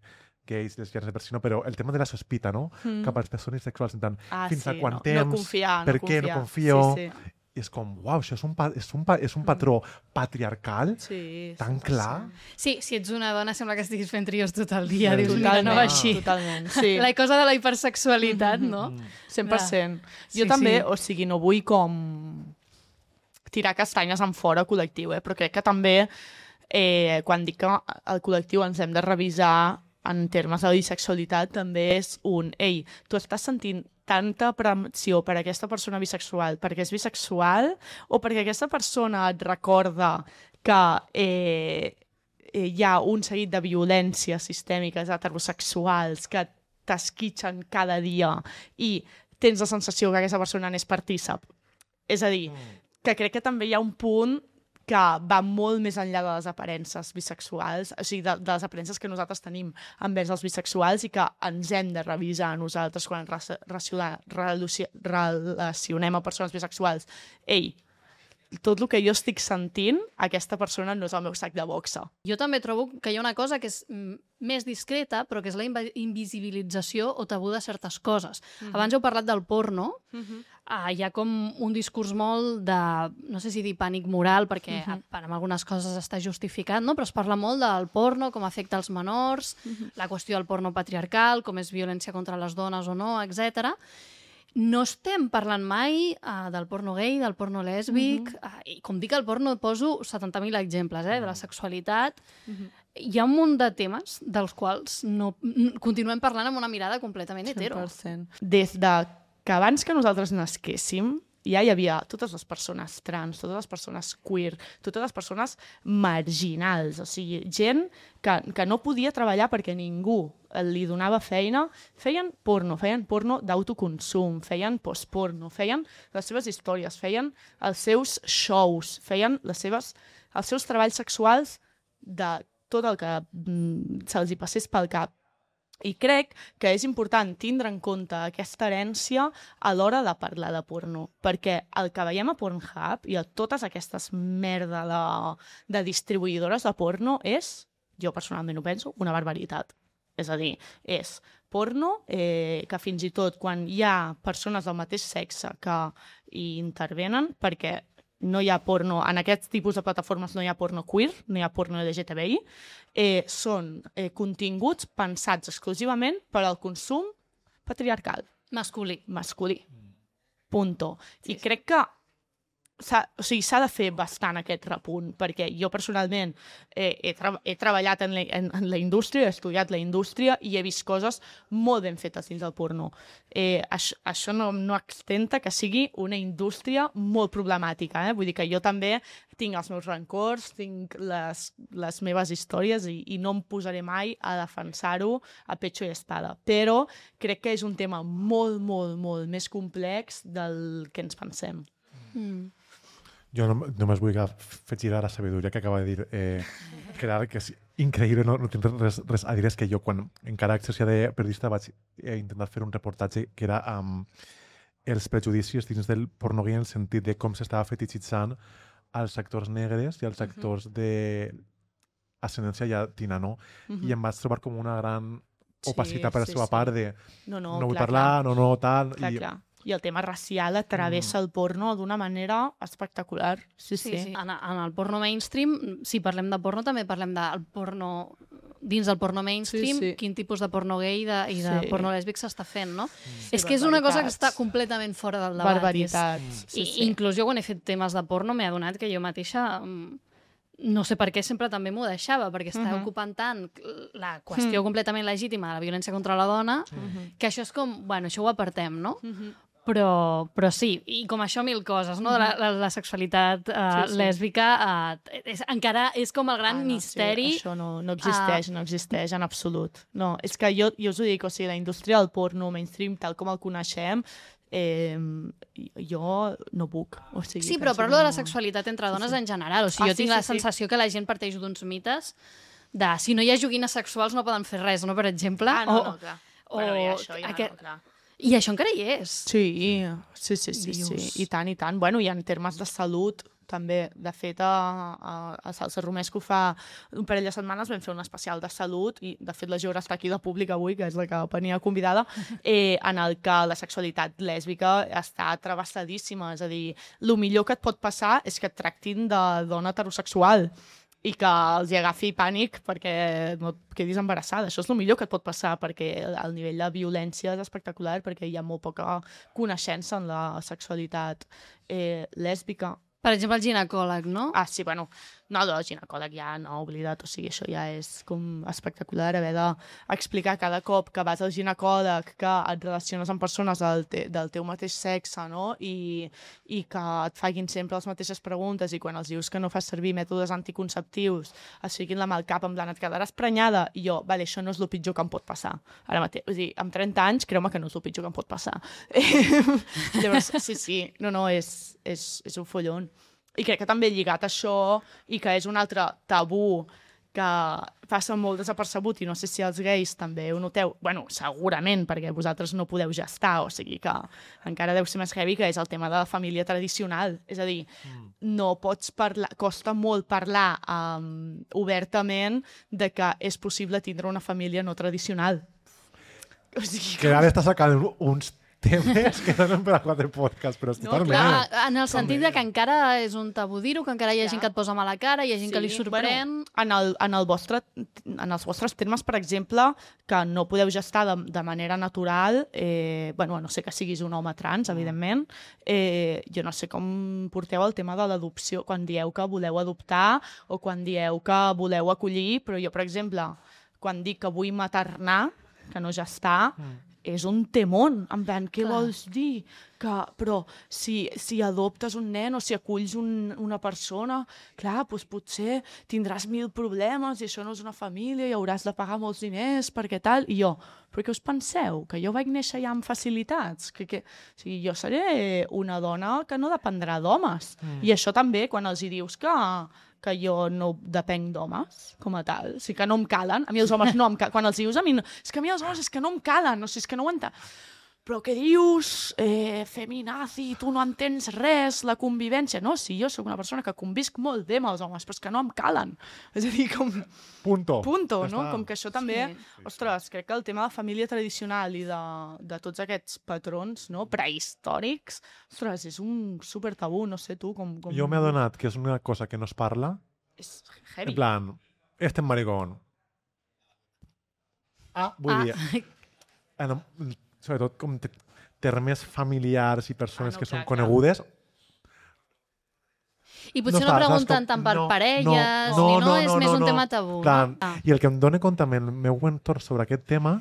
gais, lesbianes, per si no, però el tema de la sospita, no? Mm. Cap a les persones sexuals, en tant, Ah, fins sí, a quant no, temps, no confiar, per no què no confiar. confio, Sí, i és com, uau, això és un, pa és un, pa és un patró patriarcal sí. sí, tan cent per cent. clar. Sí, si ets una dona sembla que estiguis fent trios tot el dia. Sí, Dius, mira, no va Totalment, així. totalment, sí. La cosa de la hipersexualitat, no? cent per cent. Sí, Jo també, sí. o sigui, no vull com tirar castanyes en fora col·lectiu, eh? Però crec que també, eh, quan dic que el col·lectiu ens hem de revisar en termes de bisexualitat, també és un, ei, tu estàs sentint tanta pressió per aquesta persona bisexual perquè és bisexual o perquè aquesta persona et recorda que eh, eh, hi ha un seguit de violències sistèmiques heterosexuals que t'esquitxen cada dia i tens la sensació que aquesta persona n'és partícip. És a dir, que crec que també hi ha un punt que va molt més enllà de les aparences bisexuals, o sigui, de, de les aparences que nosaltres tenim envers els bisexuals i que ens hem de revisar nosaltres quan ens relacionem a persones bisexuals. Ei, tot el que jo estic sentint, aquesta persona no és el meu sac de boxa. Jo també trobo que hi ha una cosa que és mm, més discreta, però que és la invi- invisibilització o tabú de certes coses. Mm -hmm. Abans heu parlat del porno. Mm -hmm. uh, hi ha com un discurs molt de, no sé si dir pànic moral, perquè mm -hmm. amb algunes coses està justificat, no? Però es parla molt del porno, com afecta els menors, mm -hmm. la qüestió del porno patriarcal, com és violència contra les dones o no, etcètera. No estem parlant mai uh, del porno gay, del porno lèsbic, uh -huh. uh, i com dic el porno poso setanta mil exemples, eh, de la sexualitat. Uh -huh. Hi ha un munt de temes dels quals no, continuem parlant amb una mirada completament hetero. cent per cent. Des de que abans que nosaltres nasquéssim, ja hi havia totes les persones trans, totes les persones queer, totes les persones marginals, o sigui, gent que, que no podia treballar perquè ningú li donava feina, feien porno, feien porno d'autoconsum, feien postporno, feien les seves històries, feien els seus shows, feien les seves, els seus treballs sexuals de tot el que mm, se'ls hi passés pel cap. I crec que és important tindre en compte aquesta herència a l'hora de parlar de porno, perquè el que veiem a Pornhub i a totes aquestes merda de, de distribuïdores de porno és, jo personalment ho penso, una barbaritat. És a dir, és porno eh, que fins i tot quan hi ha persones del mateix sexe que hi intervenen, perquè no hi ha porno, en aquest tipus de plataformes no hi ha porno queer, no hi ha porno L G T B I, eh, són eh, continguts pensats exclusivament per al consum patriarcal. Masculí. Masculí. Punto. I sí, crec que s'ha o sigui, s'ha de fer bastant aquest repunt, perquè jo personalment eh, he, tra he treballat en la, en, en la indústria, he estudiat la indústria i he vist coses molt ben fetes dins del porno. Eh, això això no, no extenta que sigui una indústria molt problemàtica, eh? Vull dir que jo també tinc els meus rancors, tinc les, les meves històries i, i no em posaré mai a defensar-ho a pecho i espada. Però crec que és un tema molt, molt, molt més complex del que ens pensem. Mm. Jo no, només vull fer girar la sabidoria que acaba de dir eh, Gerard, que és increïble, no, no tinc res, res a dir, és que jo quan encara exercia de periodista vaig eh, intentar fer un reportatge que era amb um, els prejudicis dins del porno gay en el sentit de com s'estava fetichitzant als actors negres i als actors uh -huh. d'ascendència llatina, no? Uh -huh. I em vaig trobar com una gran opacitat sí, per la sí, seva sí. part de no, no, no vull clar, parlar, clar. no, no, tal... Clar, i... clar. I el tema racial atravessa mm. el porno d'una manera espectacular. Sí, sí. sí, sí. En, en el porno mainstream, si parlem de porno, també parlem del porno... Dins del porno mainstream, sí, sí. quin tipus de porno gay de, i de sí. porno lèsbic s'està fent, no? Sí, és que és una cosa que està completament fora del debat. Barbaritats. Sí, sí. Inclús jo quan he fet temes de porno m'he adonat que jo mateixa... No sé per què sempre també m'ho deixava, perquè està uh -huh. ocupant tant la qüestió uh -huh. completament legítima de la violència contra la dona, uh -huh. que això és com, bueno, això ho apartem, no? Uh -huh. Però, però sí, i com això mil coses, no? La, la, la sexualitat uh, sí, sí. lèsbica uh, és, encara és com el gran ah, no, misteri. Sí, això no, no existeix, uh, no existeix en absolut. No, és que jo, jo us ho dic, o sigui, la indústria del porno mainstream, tal com el coneixem, Eh, jo no puc. O sigui, sí, però parlo no... de la sexualitat entre dones sí, sí. en general. O sigui, ah, jo tinc sí, la sí, sensació sí. que la gent parteix d'uns mites de si no hi ha joguines sexuals no poden fer res, no? Per exemple. Ah, no, o, no, clar. O, bueno, i això ja aquest... no, clar. I això encara hi és. Sí, sí, sí, sí, sí. I tant, i tant. Bueno, i en termes de salut, també, de fet, a, a, a Salsa Romesco fa un parell de setmanes vam fer un especial de salut i, de fet, la Geora està aquí de públic avui, que és la que venia convidada, eh, en el que la sexualitat lèsbica està travessadíssima. És a dir, el millor que et pot passar és que et tractin de dona heterosexual i que els hi agafi pànic perquè no et quedis embarassada. Això és el millor que et pot passar, perquè el nivell de violència és espectacular, perquè hi ha molt poca coneixença en la sexualitat eh, lèsbica. Per exemple, el ginecòleg, no? Ah, sí, bueno, no, el ginecòleg ja no, oblidat, o sigui, això ja és com espectacular, haver d'explicar cada cop que vas al ginecòleg que et relaciones amb persones del, te, del teu mateix sexe, no? I, i que et facin sempre les mateixes preguntes i quan els dius que no fas servir mètodes anticonceptius es fiquin la mà al cap en plan, et quedaràs prenyada? I jo, vale, això no és el pitjor que em pot passar. Ara mateix, o sigui, amb trenta anys, creu-me que no és el pitjor que em pot passar. Llavors, sí, sí, no, no, és, és, és un follon. I crec que també lligat a això, i que és un altre tabú que passa molt desapercebut i no sé si els gais també ho noteu. Bueno, segurament, perquè vosaltres no podeu gestar, o sigui que encara deu ser més heavy, que és el tema de la família tradicional. És a dir, mm. no pots parlar, costa molt parlar um, obertament de que és possible tindre una família no tradicional. O sigui, que ara està sacant uns temes que no són per a quatre podcasts, però no, totalment. Clar, en el sentit de que encara és un tabú dir-ho, que encara hi ha clar. gent que et posa mala cara, hi ha gent sí, que li sorprèn... Bueno, en, el, en, el vostre, en els vostres termes, per exemple, que no podeu gestar de, de manera natural, eh, bueno, no sé que siguis un home trans, evidentment, eh, jo no sé com porteu el tema de l'adopció, quan dieu que voleu adoptar o quan dieu que voleu acollir, però jo, per exemple, quan dic que vull maternar, que no gestar, mm. és un temón, en plan, què Clar. vols dir? Que, però si, si adoptes un nen o si aculls un, una persona, clar, doncs potser tindràs mil problemes i això no és una família i hauràs de pagar molts diners perquè tal, i jo, però què us penseu? Que jo vaig néixer ja amb facilitats? Que, que, o sigui, jo seré una dona que no dependrà d'homes. Mm. I això també, quan els hi dius que que jo no depenc d'homes, com a tal. O sigui, que no em calen. A mi els homes no em calen. Quan els dius a mi, no... és que a mi els homes és que no em calen. O sigui, és que no ho entenc. Però què dius? Eh, feminazi, tu no entens res, la convivència. No, sí, jo sóc una persona que convisc molt bé amb els homes, però és que no em calen. És a dir, com... Punto. Punto, no? Com que això també... Sí. Ostres, crec que el tema de família tradicional i de, de tots aquests patrons, no?, prehistòrics, ostres, és un super tabú, no sé tu com... com... Jo m'he adonat que és una cosa que no es parla. És heavy. En plan, este maricón. Ah, vull ah. dir... En, sobretot com termes familiars i persones ah, no, que clar, són conegudes. I potser no, no pregunten tant per no, parelles, no, no, ni no, no és no, més no, un no. tema tabú. Tant. No? Ah. I el que em dóna compte amb el meu entorn sobre aquest tema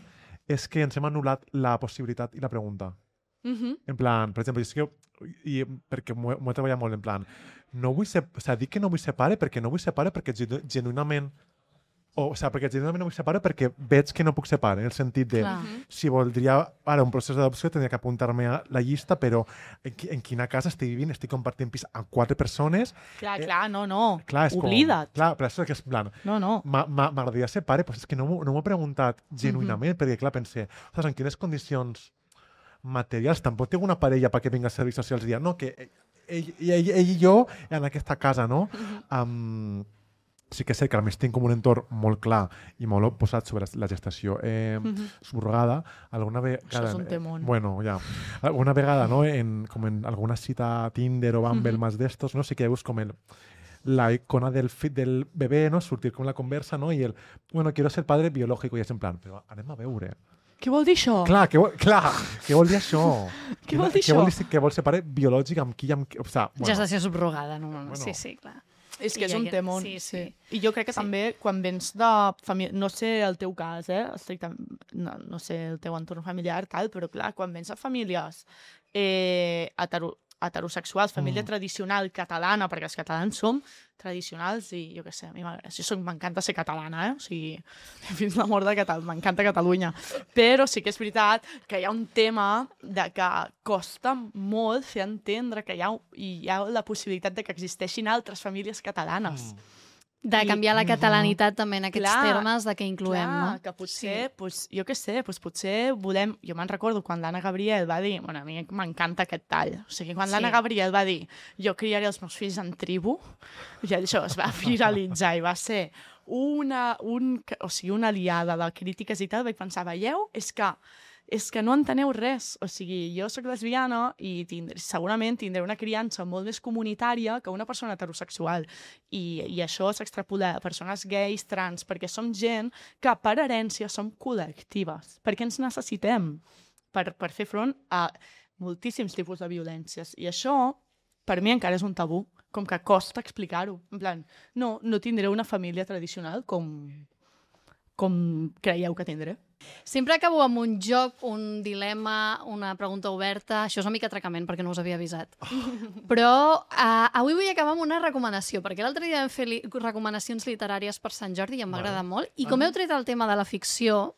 és que ens hem anul·lat la possibilitat i la pregunta. Uh-huh. En plan, per exemple, és que jo, i perquè m'ho he treballat molt, en plan, no vull ser, o sigui, dic que no vull ser pare perquè no vull ser pare perquè genuïnament O, o sigui, perquè genuïnament no vull ser pare perquè veig que no puc ser pare, en el sentit de Clar. si voldria ara un procés d'adopció tindria que apuntar-me a la llista, però en, en quina casa estic vivint, estic compartint pis amb quatre persones. Clar, eh, clar, no, no. Clar, Oblida't. Com, clar, però això és que és plan. No, no. M'agradaria ser pare, però és que no m'ho no he preguntat genuïnament, mm-hmm. perquè clar, pensé, ostres, en quines condicions materials, tampoc tinc una parella perquè vinga a serveis socials i dir, no, que ell, ell, ell, ell i jo en aquesta casa, no? Mm-hmm. Um, sí que sé que a més tinc com un entorn molt clar i molt posat sobre la gestació eh, mm-hmm. subrogada. Alguna vegada... Això és un temón. Eh, bueno, ja. Alguna vegada, no?, en, com en alguna cita Tinder o Bumble mm-hmm. más d'estos, no sé què veus com el la icona del fit del bebè, no?, sortir com la conversa, no?, i el, bueno, quiero ser padre biológico, i és en plan, però anem a veure. Què vol dir això? Clar, què vol, clar, què vol dir això? Què vol dir què això? Vol dir, què vol ser pare biològic amb qui? Amb qui? O sea, bueno. Gestació subrogada, no? Bueno. Sí, sí, clar. És que I és un temón. Sí, sí. I jo crec que sí. també quan vens de família... No sé el teu cas, eh? No, no sé el teu entorn familiar, tal, però clar, quan vens de famílies eh, hetero, heterosexuals, família mm. tradicional catalana, perquè els catalans som tradicionals i jo què sé, a mi m'encanta ser catalana, eh? O sigui, fins la mort de Catalunya, m'encanta Catalunya. Però sí que és veritat que hi ha un tema de que costa molt fer entendre que hi ha, hi ha la possibilitat de que existeixin altres famílies catalanes. Mm. De canviar la catalanitat mm-hmm. també en aquests clar, termes de què incloem, clar, no? Que potser, sí. pues, jo què sé, pues potser volem... Jo me'n recordo quan l'Anna Gabriel va dir... Bueno, a mi m'encanta aquest tall. O sigui, quan sí. l'Anna Gabriel va dir jo criaré els meus fills en tribu, ja això es va viralitzar i va ser una, un, o sigui, una aliada de crítiques i tal, vaig pensar, veieu? És que és que no enteneu res. O sigui, jo sóc lesbiana i tindré, segurament tindré una criança molt més comunitària que una persona heterosexual. I, i això s'extrapola a persones gais, trans, perquè som gent que per herència som col·lectives. Perquè ens necessitem per, per fer front a moltíssims tipus de violències. I això, per mi, encara és un tabú. Com que costa explicar-ho. En plan, no, no tindré una família tradicional com, com creieu que tindré. Sempre acabo amb un joc, un dilema, una pregunta oberta. Això és una mica atracament perquè no us havia avisat. Però uh, avui vull acabar amb una recomanació, perquè l'altre dia vam fer li recomanacions literàries per Sant Jordi i em va agradar molt. I com heu tret el tema de la ficció,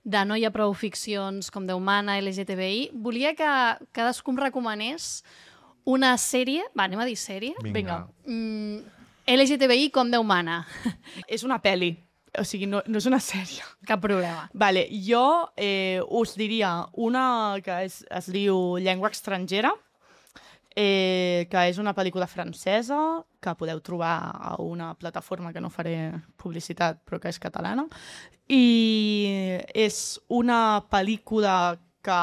de no hi ha prou ficcions com Déu mana, L G T B I, volia que cadascú em recomanés una sèrie, va, anem a dir sèrie? Vinga. Mm, L G T B I com Déu mana. És una pel·li, o sigui, no, no és una sèrie. Cap problema. Vale, jo eh, us diria una que és, es diu Llengua estrangera, eh, que és una pel·lícula francesa que podeu trobar a una plataforma que no faré publicitat però que és catalana, i és una pel·lícula que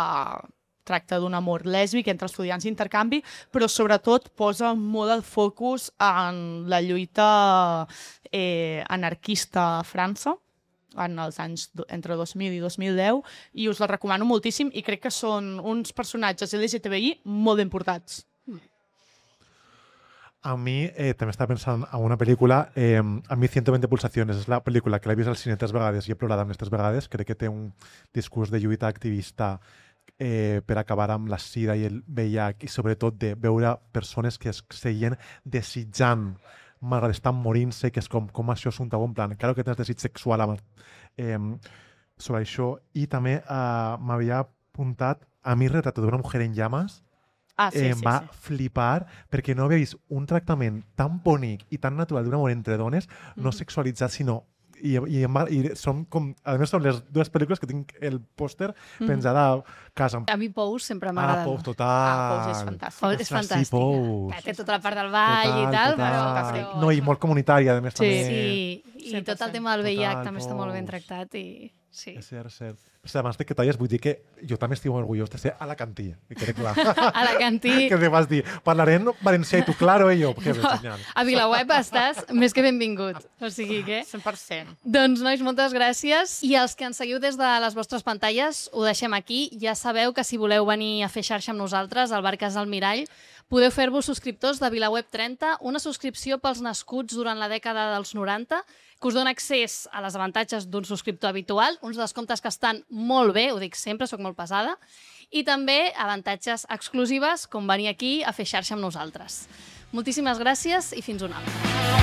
tracta d'un amor lèsbic entre estudiants d'intercanvi, però sobretot posa molt el focus en la lluita eh, anarquista a França en els anys entre dos mil i dos mil deu, i us la recomano moltíssim i crec que són uns personatges L G T B I molt importants. A mi, eh, també estava pensant en una pel·lícula, eh, a mi ciento veinte pulsaciones, és la pel·lícula que l'he vist al cine tres vegades i he plorat amb les tres vegades, crec que té un discurs de lluita activista eh, per acabar amb la sida i el V I H, i sobretot de veure persones que es seguien desitjant malgrat estan morint-se, que és com, com això és un tabú, en plan, claro que tens desig sexual amb, eh, sobre això, i també eh, m'havia apuntat a mi Retrato d'una mujer en llamas. Ah, sí, eh, em sí, va sí. flipar perquè no havia vist un tractament tan bonic i tan natural d'un amor entre dones, no Mhm. sexualitzat, sinó... I, i, em va, i són com... A més, són les dues pel·lícules que tinc el pòster penjat a casa. A mi Pous sempre Ah, m'agrada. Pous, total. Ah, Pous és fantàstic. Pous és Ostres, sí, fantàstica. Pous. Que té tota la part del ball i tal, però... però... No, i molt comunitària, a més, Sí. també. Sí, i cent per tot el cent. tema del V I H Total, també està molt ben Pous. tractat i... Sí. És cert, és cert. Però, abans de que talles, vull dir que jo també estic molt orgullós de ser alacantí, i quede clar. Alacantí. Que te vas dir, parlaré en valencià i tu, claro, i jo. Que bé, genial. A Vilaweb estàs més que benvingut. O sigui que... cent per cent. Doncs, nois, moltes gràcies. I els que ens seguiu des de les vostres pantalles, ho deixem aquí. Ja sabeu que si voleu venir a fer xarxa amb nosaltres, al bar Casa Almirall, podeu fer-vos subscriptors de Vilaweb trenta, una subscripció pels nascuts durant la dècada dels noranta, que us dona accés a les avantatges d'un subscriptor habitual, uns descomptes que estan molt bé, ho dic sempre, sóc molt pesada, i també avantatges exclusives, com venir aquí a fer xarxa amb nosaltres. Moltíssimes gràcies i fins una altra.